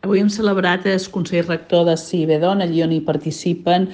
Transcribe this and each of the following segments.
Avui hem celebrat el Consell Rector de CIBEDON, allí on hi participen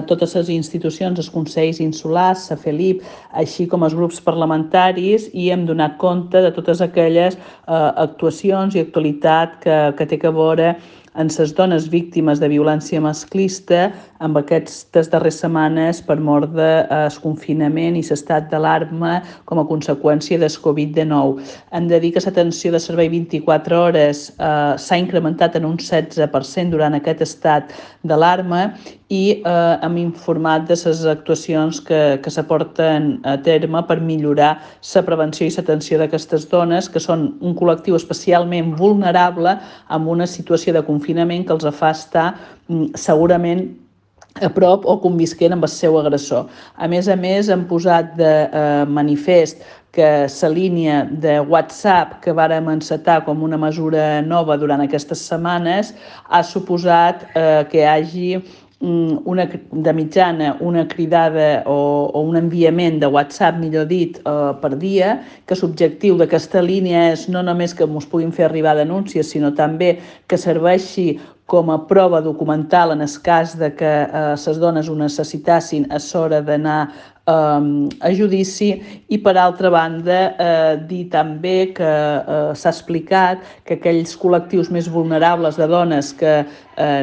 totes les institucions, els consells insulars, la FELIP, així com els grups parlamentaris, i hem donat compte de totes aquelles actuacions i actualitat que té a veure en les dones víctimes de violència masclista amb aquestes darreres setmanes per mort del confinament i l'estat d'alarma com a conseqüència del Covid-19. Hem de dir que l'atenció de servei 24 hores s'ha incrementat en un 16% durant aquest estat d'alarma i hem informat de les actuacions que s'aporten a terme per millorar la prevenció i l'atenció d'aquestes dones, que són un col·lectiu especialment vulnerable amb una situació de confinament que els fa estar segurament a prop o convisquent amb el seu agressor. A més, hem posat de manifest que la línia de WhatsApp que vàrem encetar com una mesura nova durant aquestes setmanes ha suposat que hi hagi de mitjana una cridada o un enviament de WhatsApp, millor dit, per dia, que l'objectiu d'aquesta línia és no només que ens puguin fer arribar denúncies, sinó també que serveixi com a prova documental en el cas de que les dones ho necessitassin a l'hora d'anar a judici. I per altra banda dir també que s'ha explicat que aquells col·lectius més vulnerables de dones que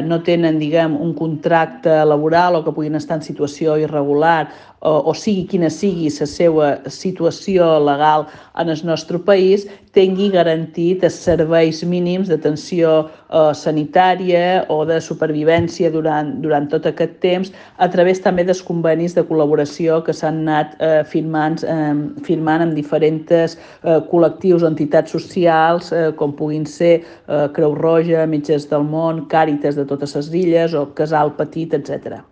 no tenen, un contracte laboral o que puguin estar en situació irregular o sigui quina sigui la seva situació legal en el nostre país, tingui garantit els serveis mínims d'atenció sanitària o de supervivència durant tot aquest temps, a través també dels convenis de col·laboració que s'han anat firmant amb diferents col·lectius o entitats socials, com puguin ser Creu Roja, Metges del Món, Càritas de totes les illes o Casal Petit, etc.